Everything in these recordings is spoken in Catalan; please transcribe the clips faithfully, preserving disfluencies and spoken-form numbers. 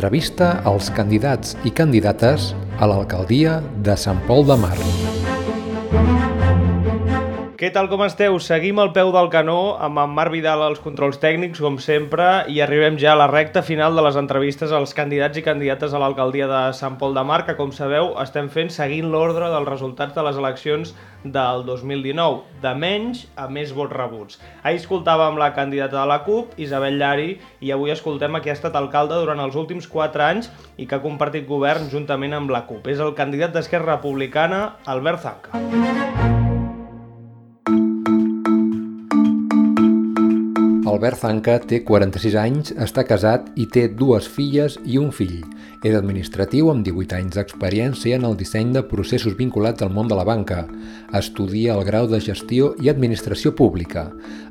Entrevista als candidats i candidates a l'alcaldia de Sant Pol de Mar. Què tal, com esteu? Seguim al peu del canó amb en Marc Vidal als controls tècnics, com sempre, i arribem ja a la recta final de les entrevistes als candidats i candidates a l'alcaldia de Sant Pol de Mar, que, com sabeu, estem fent seguint l'ordre dels resultats de les eleccions del dos mil dinou, de menys a més vots rebuts. Ahir escoltàvem la candidata de la CUP, Isabel Llari, i avui escoltem a qui ha estat alcalde durant els últims quatre anys i que ha compartit govern juntament amb la CUP. És el candidat d'Esquerra Republicana, Albert Zanca. Albert Zanca té quaranta-sis anys, està casat i té dues filles i un fill. És administratiu amb divuit anys d'experiència en el disseny de processos vinculats al món de la banca. Estudia el grau de gestió i administració pública.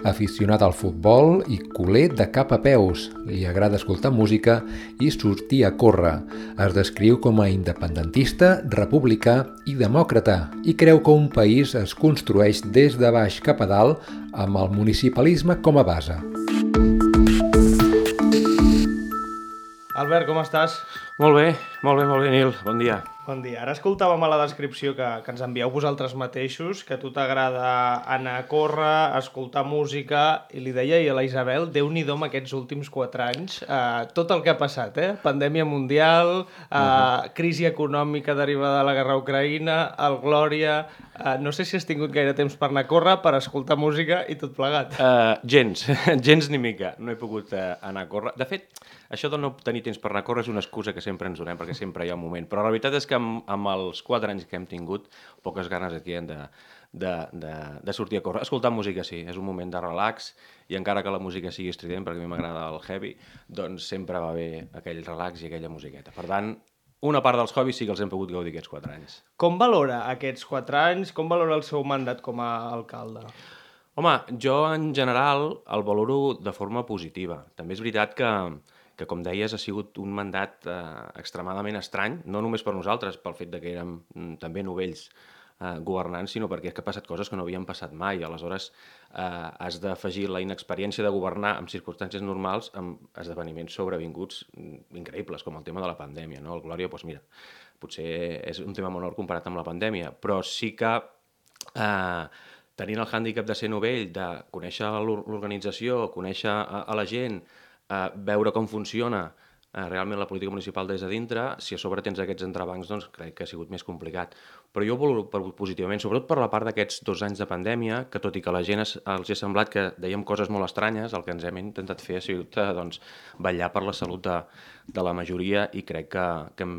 Aficionat al futbol i culer de cap a peus. Li agrada escoltar música i sortir a córrer. Es descriu com a independentista, republicà i demòcrata i creu que un país es construeix des de baix cap a dalt amb el municipalisme com a base. Albert, com estàs? Molt bé, molt bé, molt bé, Nil. Bon dia. Bon dia. Ara escoltàvem a la descripció que, que ens envieu vosaltres mateixos, que a tu t'agrada anar a córrer, escoltar música, i li deia a la Isabel, Déu-n'hi-do amb aquests últims quatre anys, eh, tot el que ha passat, eh? Pandèmia mundial, eh, uh-huh. crisi econòmica derivada de la guerra a Ucraïna, el Glòria... Eh, no sé si has tingut gaire temps per anar a córrer, per escoltar música i tot plegat. Uh, gens, gens ni mica. No he pogut uh, anar a córrer. De fet, això de no tenir temps per anar a córrer és una excusa que sempre ens donem, perquè sempre hi ha un moment. Però la veritat és que amb, amb els quatre anys que hem tingut, poques ganes aquí hem de, de, de, de sortir a córrer. Escoltar música sí, és un moment de relax, i encara que la música sigui estrident, perquè a mi m'agrada el heavy, doncs sempre va bé aquell relax i aquella musiqueta. Per tant, una part dels hobbies sí que els hem pogut gaudir aquests quatre anys. Com valora aquests quatre anys? Com valora el seu mandat com a alcalde? Home, jo en general el valoro de forma positiva. També és veritat que, que com deies, ha sigut un mandat eh, extremadament estrany, no només per nosaltres, pel fet de que érem mm, també novells eh, governants, sinó perquè és que ha passat coses que no havien passat mai. Aleshores, eh, has d'afegir la inexperiència de governar en circumstàncies normals amb esdeveniments sobrevinguts increïbles, com el tema de la pandèmia, no? El Glòria, doncs mira, potser és un tema menor comparat amb la pandèmia, però sí que eh, tenint el hàndicap de ser novell, de conèixer l'organització, conèixer a, a la gent, eh, veure com funciona eh, realment la política municipal des de dintre, si a sobre tens aquests entrebancs, doncs crec que ha sigut més complicat. Però jo ho valoro positivament, sobretot per la part d'aquests dos anys de pandèmia, que tot i que a la gent es, els ha semblat que dèiem coses molt estranyes, el que ens hem intentat fer ha sigut doncs, vetllar per la salut de, de la majoria, i crec que, que hem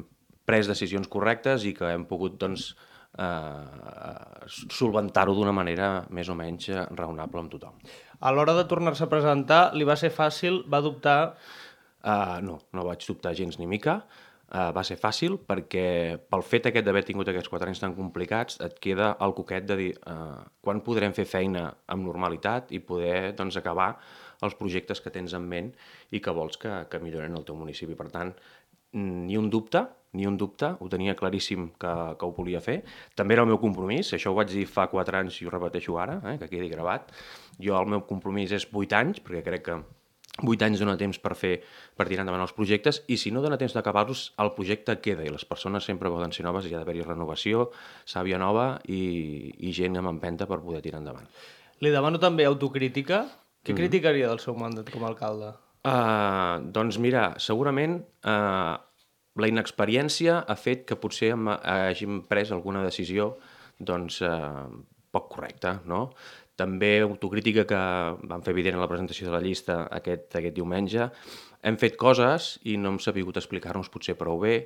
pres decisions correctes i que hem pogut doncs, eh, solventar-ho d'una manera més o menys raonable amb tothom. A l'hora de tornar-se a presentar, li va ser fàcil? Va dubtar? Uh, no, no vaig dubtar gens ni mica. Uh, va ser fàcil perquè pel fet aquest d'haver tingut aquests quatre anys tan complicats et queda el coquet de dir uh, quan podrem fer feina amb normalitat i poder doncs, acabar els projectes que tens en ment i que vols que, que milloren el teu municipi. Per tant, ni un dubte, ni un dubte, ho tenia claríssim que, que ho volia fer. També era el meu compromís, això ho vaig dir fa quatre anys i ho repeteixo ara, eh, que quedi gravat. Jo el meu compromís és vuit anys, perquè crec que vuit anys dona temps per fer, per tirar endavant els projectes, i si no dona temps d'acabar-los, el projecte queda, i les persones sempre poden ser noves, i ha d'haver-hi renovació, sàvia nova i, i gent amb empenta per poder tirar endavant. Li demano també autocrítica. Què mm-hmm. criticaria del seu mandat com a alcalde? Uh, doncs mira, segurament uh, la inexperiència ha fet que potser hem, hàgim pres alguna decisió doncs, uh, poc correcta, no? També autocrítica que vam fer evident en la presentació de la llista aquest, aquest diumenge. Hem fet coses i no hem sabut explicar-nos potser prou bé,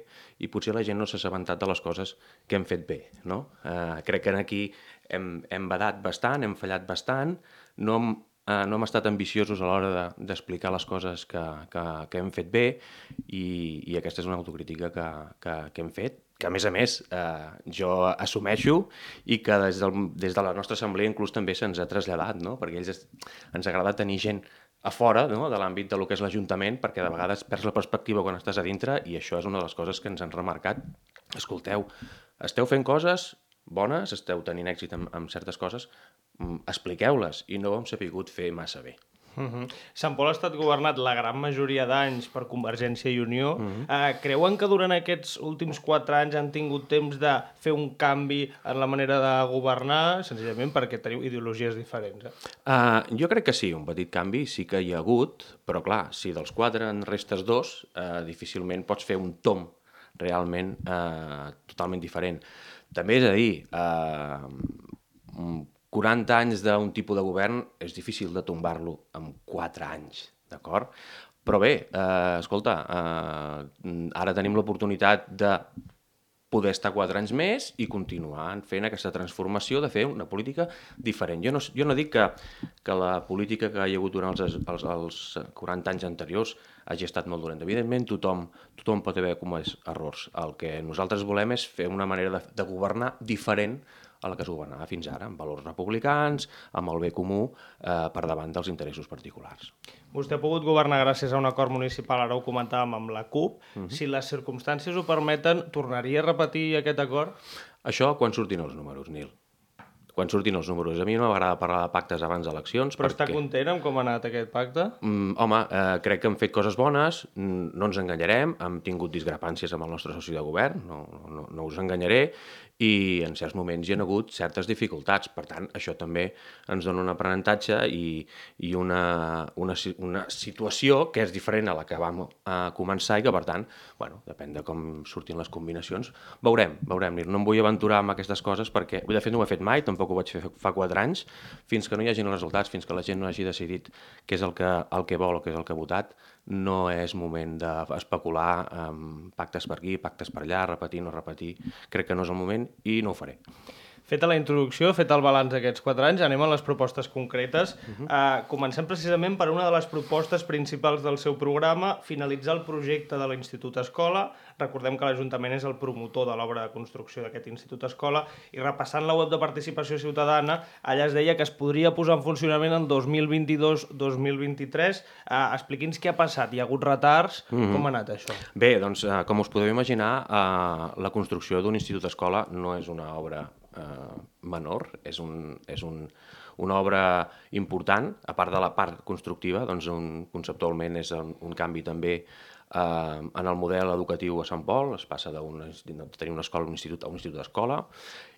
i potser la gent no s'ha assabentat de les coses que hem fet bé, no? Eh, crec que aquí hem, hem badat bastant, hem fallat bastant, no hem, eh, no hem estat ambiciosos a l'hora de, d'explicar les coses que, que, que hem fet bé, i, i aquesta és una autocrítica que, que, que hem fet, que a més a més eh, jo assumeixo i que des, del, des de la nostra assemblea inclús també se'ns ha traslladat, no? Perquè ells es, ens agrada tenir gent a fora, no? De l'àmbit del que és l'Ajuntament, perquè de vegades perds la perspectiva quan estàs a dintre, i això és una de les coses que ens han remarcat. Escolteu, esteu fent coses bones, esteu tenint èxit amb, amb certes coses, expliqueu-les, i no ho hem sabut fer massa bé. Uh-huh. Sant Pol ha estat governat la gran majoria d'anys per Convergència i Unió. Uh-huh. uh, creuen que durant aquests últims quatre anys han tingut temps de fer un canvi en la manera de governar, senzillament perquè teniu ideologies diferents? Eh? Uh, jo crec que sí, un petit canvi sí que hi ha hagut, però clar, si dels quatre en restes dos, uh, difícilment pots fer un tom realment uh, totalment diferent. També és a dir, uh, quaranta anys d'un tipus de govern és difícil de tombar-lo en quatre anys, d'acord? Però bé, eh, escolta, eh, ara tenim l'oportunitat de poder estar quatre anys més i continuar fent aquesta transformació de fer una política diferent. Jo no, jo no dic que, que la política que hi ha hagut durant els, els, els quaranta anys anteriors hagi estat molt dolenta. Evidentment, tothom, tothom pot haver comès errors. El que nosaltres volem és fer una manera de, de governar diferent a la que es governava fins ara, amb valors republicans, amb el bé comú, eh, per davant dels interessos particulars. Vostè ha pogut governar gràcies a un acord municipal, ara ho comentàvem amb la CUP. Uh-huh. Si les circumstàncies ho permeten, tornaria a repetir aquest acord? Això quan surtin els números, Nil. Quan surtin els números. A mi no m'agrada parlar de pactes abans d'eleccions. Però perquè... està content amb com ha anat aquest pacte? Mm, home, eh, crec que hem fet coses bones, no ens enganyarem, hem tingut discrepàncies amb el nostre soci de govern, no, no, no us enganyaré, i en certs moments hi ha hagut certes dificultats. Per tant, això també ens dona un aprenentatge i, i una, una, una situació que és diferent a la que vam a començar i que, per tant, bueno, depèn de com surtin les combinacions, veurem, veurem. No em vull aventurar amb aquestes coses perquè, de fet, no ho he fet mai, tampoc ho vaig fer fa quatre anys, fins que no hi hagin els resultats, fins que la gent no hagi decidit què és el que, el que vol o què és el que ha votat, no és moment d'especular amb pactes per aquí, pactes per allà, repetir, no repetir. Crec que no és el moment i no ho faré. Feta la introducció, fet el balanç d'aquests quatre anys, anem a les propostes concretes. Uh-huh. uh, comencem precisament per una de les propostes principals del seu programa, finalitzar el projecte de l'Institut Escola. Recordem que l'Ajuntament és el promotor de l'obra de construcció d'aquest Institut Escola, i repassant la web de participació ciutadana, allà es deia que es podria posar en funcionament en dos mil vint-i-dos dos mil vint-i-tres. Uh, Expliqui'ns què ha passat. Hi ha hagut retards? Uh-huh. Com ha anat això? Bé, doncs, uh, com us podeu imaginar, uh, la construcció d'un Institut Escola no és una obra Uh, menor, és, un, és un, una obra important, a part de la part constructiva, doncs un, conceptualment és un, un canvi també uh, en el model educatiu a Sant Pol, es passa de, una, de tenir una escola a un institut a un institut d'escola,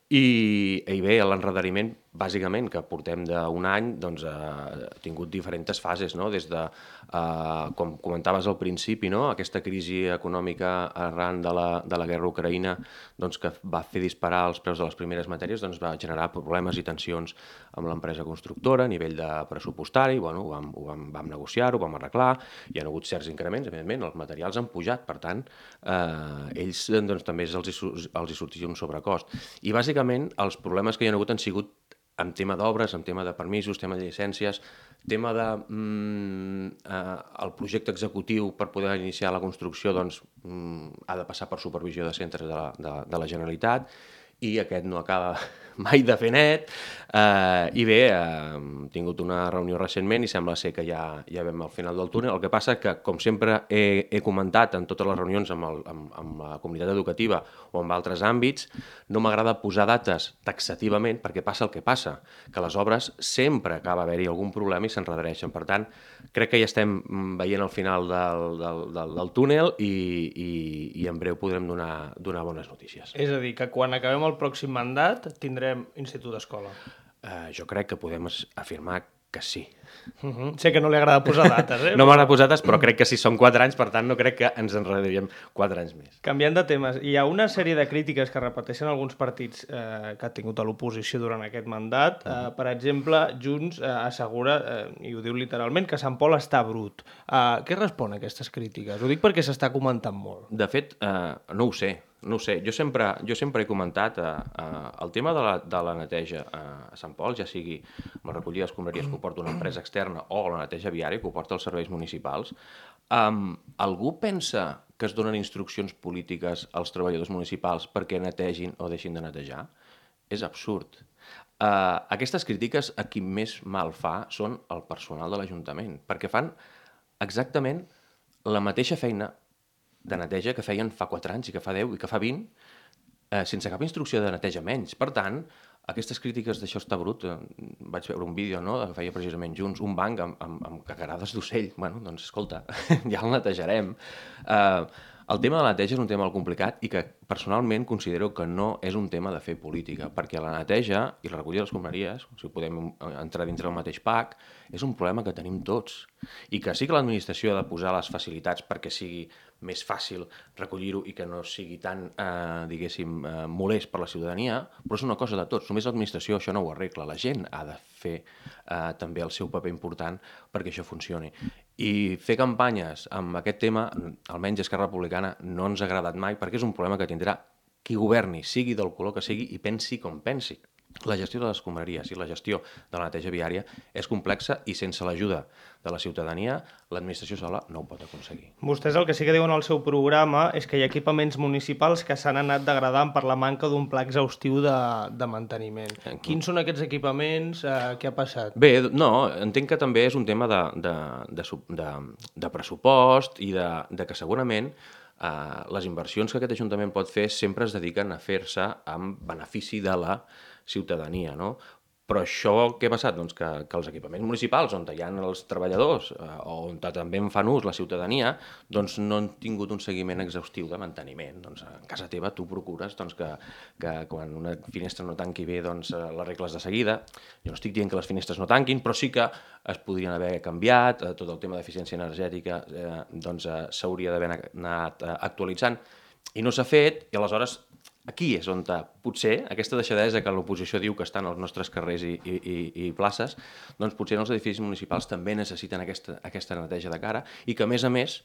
i, i bé, l'enredariment, bàsicament, que portem d'un any, doncs ha tingut diferents fases, no? Des de, eh, com comentaves al principi, no? Aquesta crisi econòmica arran de la, de la guerra a Ucraïna, doncs, que va fer disparar els preus de les primeres matèries, doncs, va generar problemes i tensions amb l'empresa constructora a nivell de pressupostari. Bueno, ho vam, ho vam, vam negociar-ho, ho vam arreglar, hi ha hagut certs increments, evidentment, els materials han pujat, per tant, eh, ells doncs, també els hi, els hi sortia un sobrecost. I bàsicament els problemes que hi ha hagut han sigut en tema d'obres, en tema de permisos, tema de llicències, tema de mm, eh, el projecte executiu per poder iniciar la construcció, doncs mm, ha de passar per supervisió de centres de la, de, de la Generalitat, i aquest no acaba mai de fer net, eh, i bé, eh, hem tingut una reunió recentment i sembla ser que ja, ja vam al final del túnel. El que passa que, com sempre he, he comentat en totes les reunions amb, el, amb, amb la comunitat educativa o amb altres àmbits, no m'agrada posar dates taxativament perquè passa el que passa, que les obres sempre acaba haver-hi algun problema i s'enredareixen. Per tant, crec que ja estem veient el final del, del, del, del túnel i, i, i en breu podrem donar, donar bones notícies. És a dir, que quan acabem el pròxim mandat tindrem Institut Escola. Uh, jo crec que podem afirmar que sí. Uh-huh. Sé que no li agrada posar dates, eh? No m'agrada posar dates, però crec que sí, són quatre anys, per tant no crec que ens enredaríem quatre anys més. Canviant de temes, hi ha una sèrie de crítiques que repeteixen alguns partits eh, que han tingut a l'oposició durant aquest mandat. Uh, per exemple, Junts eh, assegura, eh, i ho diu literalment, que Sant Pol està brut. Uh, què respon a aquestes crítiques? Ho dic perquè s'està comentant molt. De fet, eh, no ho sé. No ho sé, jo sempre, jo sempre he comentat eh, eh, el tema de la, de la neteja eh, a Sant Pol, ja sigui amb la recollida d'escombraries que ho porta una empresa externa o la neteja viària que ho porta els serveis municipals. Um, algú pensa que es donen instruccions polítiques als treballadors municipals perquè netegin o deixin de netejar? És absurd. Uh, aquestes crítiques a qui més mal fa són el personal de l'Ajuntament, perquè fan exactament la mateixa feina de neteja que feien fa quatre anys i que fa deu i que fa vint, eh, sense cap instrucció de neteja menys. Per tant, aquestes crítiques d'això està brut, eh, vaig veure un vídeo, no?, que feia precisament Junts, un banc amb, amb, amb cagarades d'ocell. Bueno, doncs, escolta, ja el netejarem. Eh, el tema de la neteja és un tema molt complicat i que personalment considero que no és un tema de fer política, perquè la neteja i la recollida de les escombraries, si podem entrar dintre del mateix pack, és un problema que tenim tots. I que sí que l'administració ha de posar les facilitats perquè sigui més fàcil recollir-ho i que no sigui tan, eh, diguéssim, eh, molest per la ciutadania, però és una cosa de tots. Només l'administració això no ho arregla. La gent ha de fer eh, també el seu paper important perquè això funcioni. I fer campanyes amb aquest tema, almenys Esquerra Republicana, no ens ha agradat mai perquè és un problema que tindrà qui governi, sigui del color que sigui i pensi com pensi. La gestió de les escombraries i la gestió de la neteja viària és complexa i sense l'ajuda de la ciutadania l'administració sola no ho pot aconseguir. Vostès el que sí que diuen al seu programa és que hi ha equipaments municipals que s'han anat degradant per la manca d'un pla exhaustiu de, de manteniment. Eh, Quins són aquests equipaments? Eh, què ha passat? Bé, no, entenc que també és un tema de, de, de, de, de pressupost i de, de que segurament eh, les inversions que aquest Ajuntament pot fer sempre es dediquen a fer-se amb benefici de la ciutadania, no? Però això què ha passat? Doncs que, que els equipaments municipals on hi ha els treballadors eh, o on també en fan ús la ciutadania doncs no han tingut un seguiment exhaustiu de manteniment. Doncs a casa teva tu procures doncs, que, que quan una finestra no tanqui bé doncs, l'arregles de seguida. Jo no estic dient que les finestres no tanquin, però sí que es podrien haver canviat, eh, tot el tema d'eficiència energètica eh, doncs, eh, s'hauria d'haver anat eh, actualitzant i no s'ha fet, i aleshores aquí és on potser aquesta deixadesa que l'oposició diu que estan als nostres carrers i, i, i places, doncs potser els edificis municipals també necessiten aquesta, aquesta neteja de cara i que, a més a més,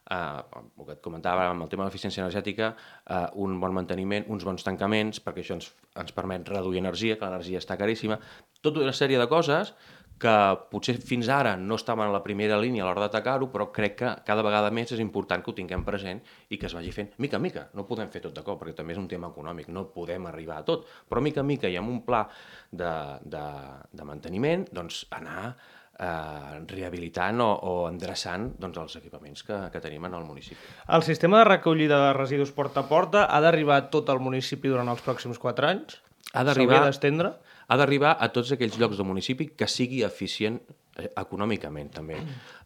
eh, el que et comentava amb el tema de l'eficiència energètica, eh, un bon manteniment, uns bons tancaments, perquè això ens, ens permet reduir energia, que l'energia està caríssima, tota una sèrie de coses que potser fins ara no estaven a la primera línia a l'hora d'atacar-ho, però crec que cada vegada més és important que ho tinguem present i que es vagi fent mica en mica. No podem fer tot de cop, perquè també és un tema econòmic, no podem arribar a tot, però mica en mica i amb un pla de, de, de manteniment, doncs anar eh, rehabilitant o, o endreçant doncs, els equipaments que, que tenim en el municipi. El sistema de recollida de residus porta a porta ha d'arribar a tot el municipi durant els pròxims quatre anys? Ha d'arribar... S'hauria d'estendre? Ha d'arribar a tots aquells llocs del municipi que sigui eficient econòmicament, també.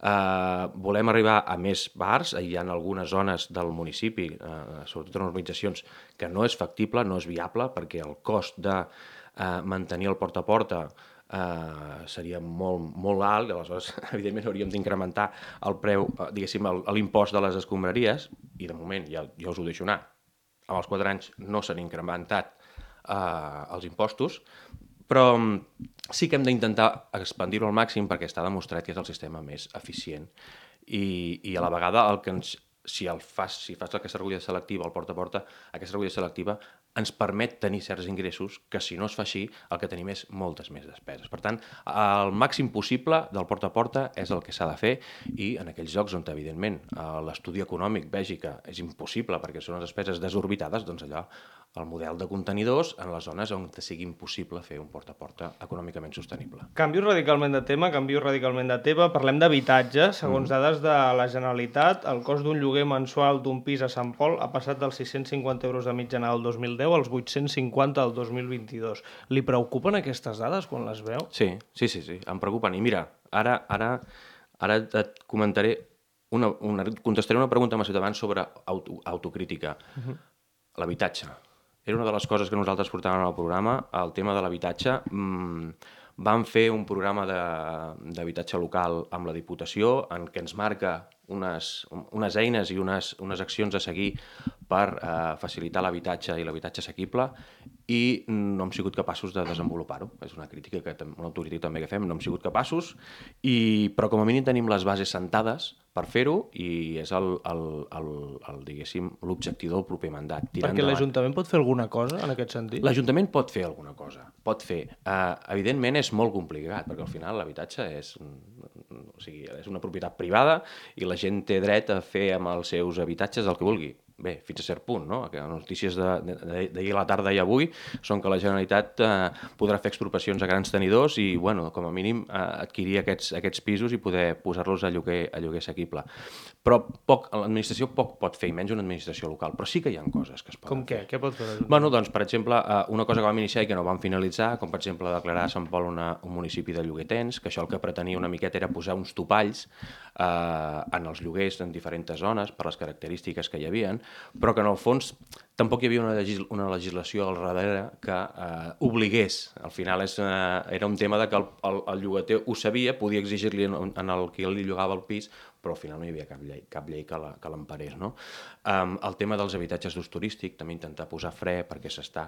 Uh, volem arribar a més bars. Hi ha algunes zones del municipi, uh, sobretot en urbanitzacions, que no és factible, no és viable, perquè el cost de uh, mantenir el porta a porta uh, seria molt, molt alt, i aleshores, evidentment, hauríem d'incrementar el preu, uh, diguéssim, l'impost de les escombraries, i de moment, ja, ja us ho deixo anar, amb els quatre anys no s'han incrementat uh, els impostos, però sí que hem d'intentar expandir-ho al màxim perquè està demostrat que és el sistema més eficient i, i a la vegada el que ens, si, el fas, si fas aquesta recollida selectiva, el porta a porta, aquesta recollida selectiva ens permet tenir certs ingressos que si no es fa així el que tenim és moltes més despeses. Per tant, el màxim possible del porta a porta és el que s'ha de fer i en aquells llocs on evidentment l'estudi econòmic vegi que és impossible perquè són unes despeses desorbitades, doncs allò el model de contenidors en les zones on sigui impossible fer un porta a porta econòmicament sostenible. Canvio radicalment de tema, canvio radicalment de tema. Parlem d'habitatge. Segons mm. dades de la Generalitat, el cost d'un lloguer mensual d'un pis a Sant Pol ha passat dels sis-cents cinquanta euros de mitjana del dos mil deu als vuit-cents cinquanta del dos mil vint-i-dos. Li preocupen aquestes dades quan les veu? Sí, sí, sí, sí, em preocupen. I mira, ara, ara, ara et comentaré, una, una, contestaré una pregunta amb els ciutadans sobre auto, autocrítica. Uh-huh. L'habitatge. Era una de les coses que nosaltres portàvem al programa, el tema de l'habitatge. Mm, vam fer un programa d'habitatge local amb la Diputació en què ens marca unes, unes eines i unes, unes accions a seguir per eh, facilitar l'habitatge i l'habitatge assequible i no hem sigut capaços de desenvolupar-ho. És una crítica, que, una autocrítica també que fem, no hem sigut capaços, i, però com a mínim tenim les bases sentades per fer-ho i és el, el, el, el, diguéssim, l'objectiu del proper mandat. Perquè l'Ajuntament pot fer alguna cosa en aquest sentit? L'Ajuntament pot fer alguna cosa, pot fer. Uh, evidentment és molt complicat, perquè al final l'habitatge és, o sigui, és una propietat privada i la gent té dret a fer amb els seus habitatges el que vulgui. bé, fins a cert punt, no? Que les notícies d'ahir a la tarda i avui són que la Generalitat eh, podrà fer expropiacions a grans tenidors i, bueno, com a mínim eh, adquirir aquests, aquests pisos i poder posar-los a lloguer, a lloguer assequible. Però poc, l'administració poc pot fer, i menys una administració local, però sí que hi ha coses que es poden Com què? fer. Què pot fer l'Ajuntament? Bueno, doncs, per exemple, eh, una cosa que vam iniciar i que no vam finalitzar, com per exemple declarar Sant Pol una, un municipi de lloguer tens, que això el que pretenia una miqueta era posar uns topalls eh, en els lloguers en diferents zones per les característiques que hi havia, però que en el fons tampoc hi havia una, legis una legislació al darrere que eh, obligués. Al final és, eh, era un tema de que el, el, el llogater ho sabia, podia exigir-li en, en el que li llogava el pis, però al final no hi havia cap llei, cap llei que l'emparés. No? Um, el tema dels habitatges d'ús turístic, també intentar posar fre perquè s'està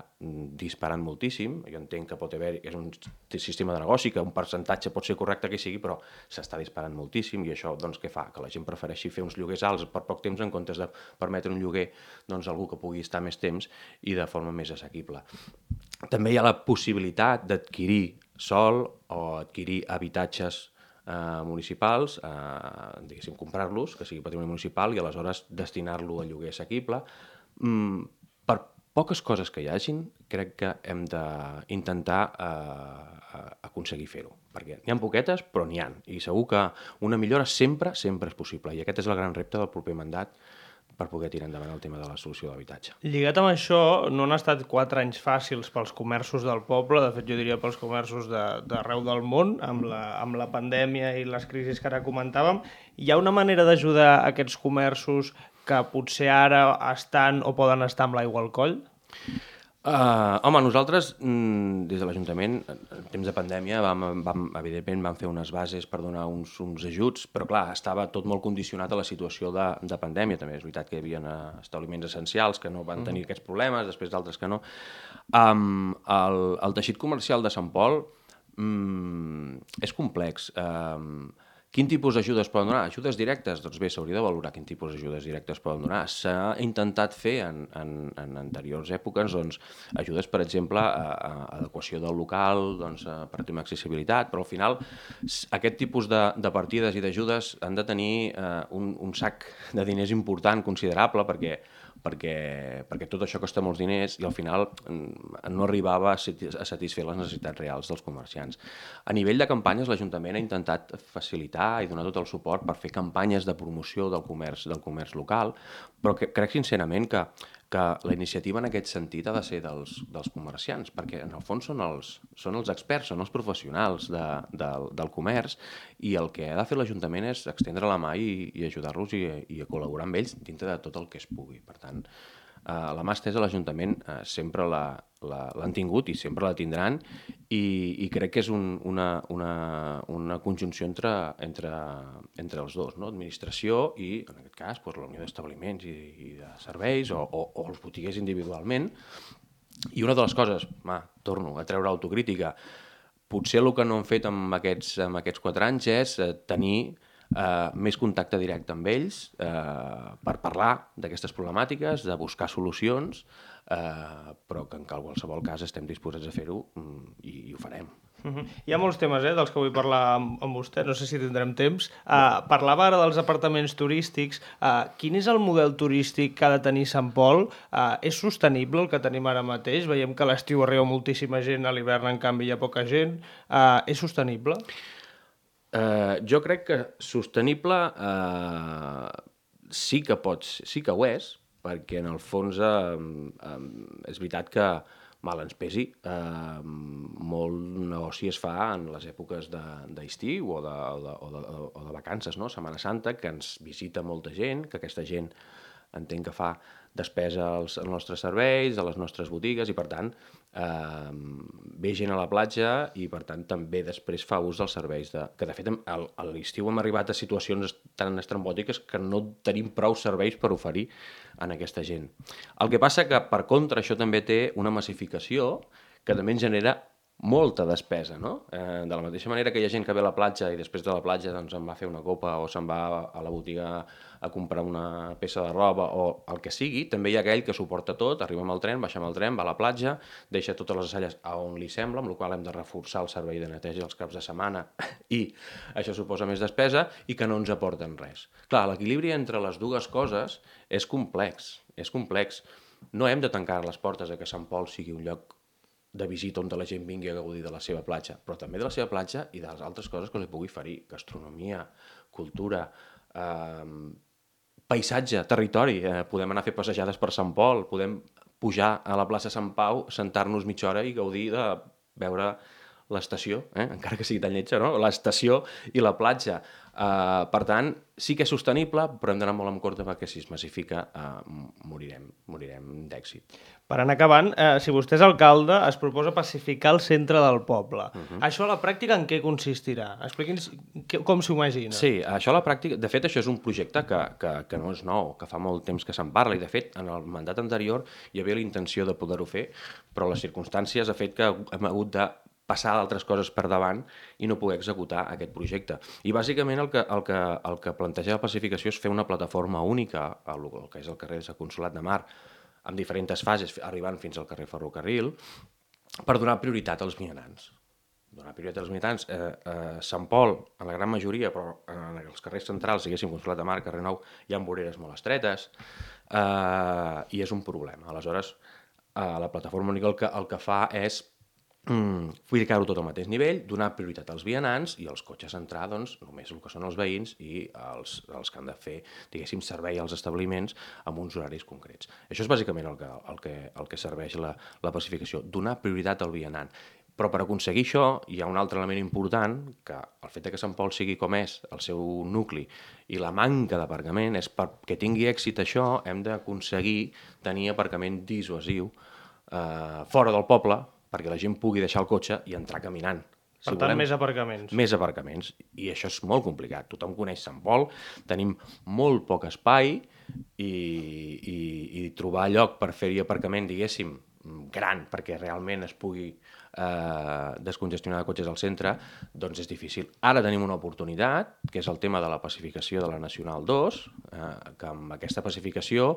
disparant moltíssim. Jo entenc que pot haver, és un sistema de negoci, que un percentatge pot ser correcte que sigui, però s'està disparant moltíssim i això doncs, què fa? Que la gent prefereixi fer uns lloguers alts per poc temps en comptes de permetre un lloguer doncs, a algú que pugui estar més temps i de forma més assequible. També hi ha la possibilitat d'adquirir sòl o adquirir habitatges Eh, municipals, eh, diguéssim, comprar-los, que sigui patrimoni municipal, i aleshores destinar-lo a lloguer assequible. Mm, per poques coses que hi hagin, crec que hem d'intentar eh, aconseguir fer-ho, perquè n'hi ha poquetes, però n'hi ha, i segur que una millora sempre, sempre és possible, i aquest és el gran repte del proper mandat, per poder tirar endavant el tema de la solució de l'habitatge. Lligat amb això, no han estat quatre anys fàcils pels comerços del poble, de fet jo diria pels comerços d'arreu de, del món, amb la, amb la pandèmia i les crisis que ara comentàvem. Hi ha una manera d'ajudar aquests comerços que potser ara estan o poden estar amb l'aigua al coll? Uh, home, nosaltres, mm, des de l'Ajuntament, en temps de pandèmia, vam, vam, evidentment vam fer unes bases per donar uns, uns ajuts, però clar, estava tot molt condicionat a la situació de, de pandèmia. També és veritat que hi havia establiments essencials que no van tenir aquests problemes, després d'altres que no. Um, el, el teixit comercial de Sant Pol um, és complex. Um, Quin tipus d'ajudes poden donar? Ajudes directes? Doncs bé, s'hauria de valorar quin tipus d'ajudes directes poden donar. S'ha intentat fer en, en, en anteriors èpoques doncs, ajudes, per exemple, a, a adequació del local, doncs, a, per tema d'accessibilitat, però al final aquest tipus de, de partides i d'ajudes han de tenir eh, un, un sac de diners important, considerable, perquè perquè, perquè tot això costa molts diners i al final no arribava a satisfer les necessitats reals dels comerciants. A nivell de campanyes, l'Ajuntament ha intentat facilitar i donar tot el suport per fer campanyes de promoció del comerç, del comerç local, però que, crec sincerament que, que la iniciativa en aquest sentit ha de ser dels, dels comerciants, perquè en el fons són els, són els experts, són els professionals de, de, del comerç, i el que ha de fer l'Ajuntament és extendre la mà i, i ajudar-los i, i a col·laborar amb ells dintre de tot el que es pugui. Per tant, eh, la mà estesa a l'Ajuntament eh, sempre l'han tingut i sempre la tindran, i, i crec que és un, una, una, una conjunció entre, entre, entre els dos, no? Administració i, en aquest cas, doncs, la unió d'establiments i, i de serveis o, o, o els botiguers individualment. I una de les coses, ma, torno a treure autocrítica, potser el que no hem fet amb aquests, amb aquests quatre anys és eh, tenir eh, més contacte directe amb ells eh, per parlar d'aquestes problemàtiques, de buscar solucions, eh, però que en qualsevol cas estem disposats a fer-ho i, i ho farem. Uh-huh. Hi ha molts temes eh, dels que vull parlar amb, amb vostè, no sé si tindrem temps. Uh, parlava ara dels apartaments turístics. Uh, quin és el model turístic que ha de tenir Sant Pol? Uh, és sostenible el que tenim ara mateix? Veiem que a l'estiu arriba moltíssima gent, a l'hivern en canvi hi ha poca gent. Uh, és sostenible? Uh, jo crec que sostenible uh, sí que pots, sí que ho és, perquè en el fons uh, uh, és veritat que mal ens pesi, eh, molt negoci es fa en les èpoques d'estiu o, de, o, de, o, de, o de vacances, no? Setmana Santa, que ens visita molta gent, que aquesta gent entenc que fa despesa als, als nostres serveis, a les nostres botigues, i per tant eh, ve gent a la platja i per tant també després fa ús dels serveis. De, que de fet a l'estiu hem arribat a situacions tan estrambòtiques que no tenim prou serveis per oferir en aquesta gent. El que passa que, per contra, això també té una massificació que també ens genera molta despesa, no? Eh, de la mateixa manera que hi ha gent que ve a la platja i després de la platja doncs, se'n va a fer una copa o se'n va a la botiga a comprar una peça de roba o el que sigui, també hi ha aquell que suporta tot, arriba amb el tren, baixa amb el tren, va a la platja, deixa totes les assalles a on li sembla, amb la qual hem de reforçar el servei de neteja els caps de setmana i això suposa més despesa i que no ens aporten res. Clar, l'equilibri entre les dues coses és complex, és complex. No hem de tancar les portes a que Sant Pol sigui un lloc de visita on la gent vingui a gaudir de la seva platja, però també de la seva platja i de les altres coses que li pugui oferir, gastronomia, cultura, eh, paisatge, territori. Eh, podem anar a fer passejades per Sant Pol, podem pujar a la plaça Sant Pau, sentar-nos mitja hora i gaudir de veure l'estació, eh? encara que sigui tan lletja, no? L'estació i la platja. Uh, per tant, sí que és sostenible, però hem d'anar molt amb compte perquè si es massifica uh, morirem, morirem d'èxit. Per anar acabant, eh, si vostè és alcalde, es proposa pacificar el centre del poble. Uh-huh. Això a la pràctica en què consistirà? Expliqui'ns com s'ho imagina. Sí, això a la pràctica... De fet, això és un projecte que, que, que no és nou, que fa molt temps que se'n parla, i de fet, en el mandat anterior hi havia la intenció de poder-ho fer, però les circumstàncies ha fet que hem hagut de passar d'altres coses per davant i no poder executar aquest projecte. I bàsicament el que, el que, el que planteja la pacificació és fer una plataforma única, el, el que és el carrer de Consolat de Mar, amb diferents fases, arribant fins al carrer Ferrocarril, per donar prioritat als vianants. Donar prioritat als vianants. Eh, eh, Sant Pol, en la gran majoria, però en els carrers centrals, diguéssim, Consolat de Mar, carrer Nou, hi ha voreres molt estretes, eh, i és un problema. Aleshores, eh, la plataforma única el que, el que fa és Mm, ficar-ho tot al mateix nivell, donar prioritat als vianants i els cotxes entrar, doncs, només el que són els veïns i els, els que han de fer, diguéssim, servei als establiments amb uns horaris concrets. Això és bàsicament el que, el que, el que serveix la, la pacificació, donar prioritat al vianant. Però per aconseguir això hi ha un altre element important, que el fet que Sant Pol sigui com és, el seu nucli, i la manca d'aparcament, és perquè tingui èxit això, hem d'aconseguir tenir aparcament dissuasiu eh, fora del poble, perquè la gent pugui deixar el cotxe i entrar caminant. Per si tant, volem, més aparcaments. Més aparcaments. I això és molt complicat. Tothom coneix Sant Pol, tenim molt poc espai i, i, i trobar lloc per fer-hi aparcament, diguéssim, gran, perquè realment es pugui eh, descongestionar de cotxes al centre, doncs és difícil. Ara tenim una oportunitat, que és el tema de la pacificació de la Nacional dos, eh, que amb aquesta pacificació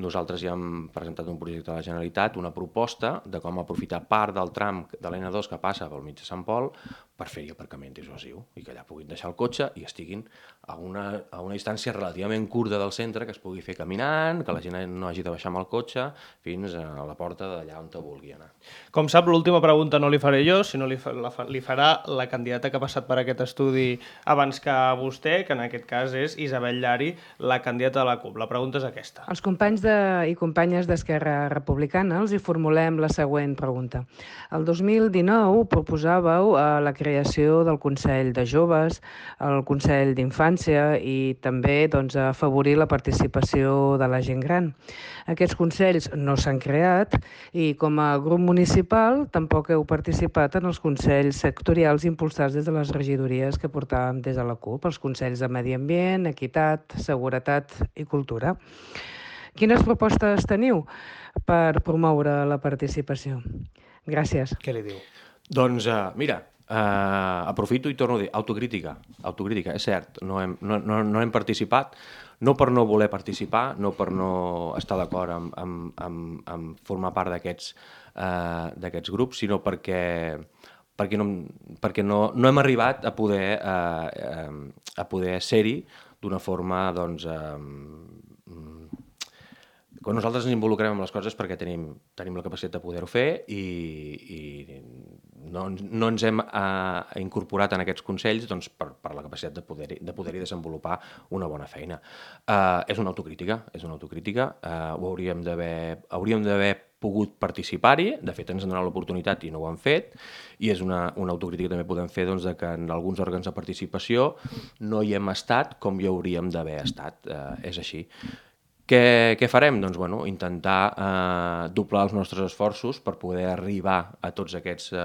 nosaltres ja hem presentat un projecte de la Generalitat, una proposta de com aprofitar part del tram de l'N dos que passa pel mig de Sant Pol per fer-hi aparcament dissuasiu i que allà puguin deixar el cotxe i estiguin a una, a una distància relativament curta del centre, que es pugui fer caminant, que la gent no hagi de baixar amb el cotxe fins a la porta d'allà on te vulgui anar. Com sap, l'última pregunta no li faré jo, sinó li, fa, la, li farà la candidata que ha passat per aquest estudi abans que vostè, que en aquest cas és Isabel Llari, la candidata de la CUP. La pregunta és aquesta. Els companys de, i companyes d'Esquerra Republicana els hi formulem la següent pregunta. El dos mil dinou proposàveu eh, la creació del Consell de Joves, el Consell d'Infància i també doncs, afavorir la participació de la gent gran. Aquests consells no s'han creat i com a grup municipal tampoc heu participat en els consells sectorials impulsats des de les regidories que portàvem des de la CUP, els consells de Medi Ambient, Equitat, Seguretat i Cultura. Quines propostes teniu per promoure la participació? Gràcies. Què li diu? Doncs uh, mira, uh, aprofito i torno a dir, autocrítica, autocrítica, és cert, no hem, no, no, no hem participat, no per no voler participar, no per no estar d'acord amb, amb, amb, amb formar part d'aquests uh, d'aquests grups, sinó perquè, perquè, no, perquè no, no hem arribat a poder, uh, uh, a poder ser-hi d'una forma, doncs, uh, quan nosaltres ens involucrem en les coses perquè tenim, tenim la capacitat de poder-ho fer i, i no, no ens hem uh, incorporat en aquests consells doncs, per, per la capacitat de poder-hi de poder desenvolupar una bona feina. Uh, és una autocrítica, és una autocrítica, uh, ho hauríem d'haver hauríem d'haver pogut participar-hi, de fet ens han donat l'oportunitat i no ho han fet, i és una, una autocrítica que també podem fer doncs, de que en alguns òrgans de participació no hi hem estat com hi hauríem d'haver estat, uh, és així. Què, què farem? Doncs bueno, intentar eh, doblar els nostres esforços per poder arribar a tots aquests, eh,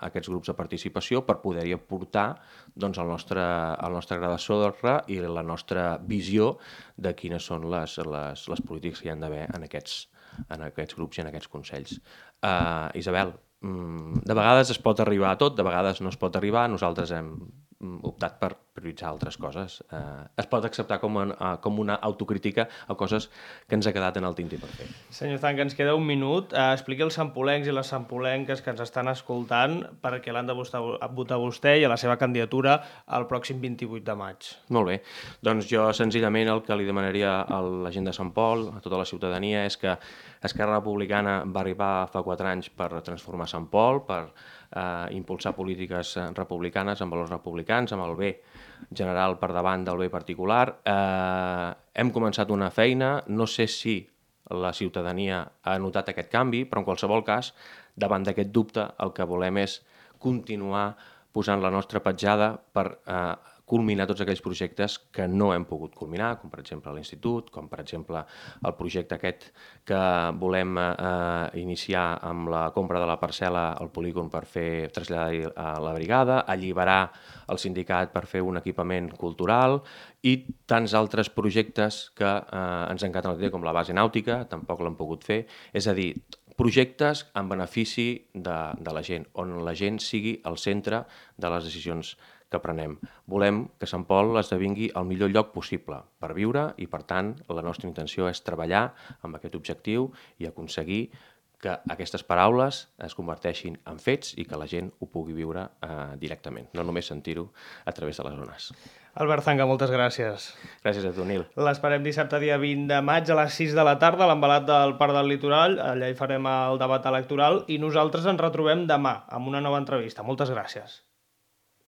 aquests grups de participació, per poder-hi aportar doncs, el, nostre, el nostre gra de sorra i la nostra visió de quines són les, les, les polítiques que hi ha d'haver en aquests, en aquests grups i en aquests consells. Uh, Isabel, de vegades es pot arribar a tot, de vegades no es pot arribar, nosaltres hem optat per prioritzar altres coses. Eh, es pot acceptar com, en, com una autocrítica a coses que ens ha quedat en el tinti per fer. Senyor Zanca, ens queda un minut. Eh, expliqui als sampolencs i les sampolenques que ens estan escoltant perquè l'han de votar, votar vostè i a la seva candidatura el pròxim vint-i-vuit de maig. Molt bé. Doncs jo senzillament el que li demanaria a la gent de Sant Pol, a tota la ciutadania, és que Esquerra Republicana va arribar fa quatre anys per transformar Sant Pol, per eh, impulsar polítiques republicanes amb valors republicans, amb el bé general per davant del bé particular. Eh, hem començat una feina, no sé si la ciutadania ha notat aquest canvi, però en qualsevol cas, davant d'aquest dubte, el que volem és continuar posant la nostra petjada per eh, culminar tots aquells projectes que no hem pogut culminar, com per exemple l'Institut, com per exemple el projecte aquest que volem eh, iniciar amb la compra de la parcel·la al polígon per fer traslladar a la brigada, alliberar el sindicat per fer un equipament cultural i tants altres projectes que eh, ens encanten el dia, com la base nàutica, tampoc l'hem pogut fer. És a dir, projectes en benefici de, de la gent, on la gent sigui el centre de les decisions que prenem. Volem que Sant Pol esdevingui el millor lloc possible per viure i, per tant, la nostra intenció és treballar amb aquest objectiu i aconseguir que aquestes paraules es converteixin en fets i que la gent ho pugui viure eh, directament, no només sentir-ho a través de les zones. Albert Zanca, moltes gràcies. Gràcies a tu, Nil. L'esperem dissabte dia vint de maig a les sis de la tarda a l'embalat del Parc del Litoral. Allà hi farem el debat electoral i nosaltres ens retrobem demà amb una nova entrevista. Moltes gràcies.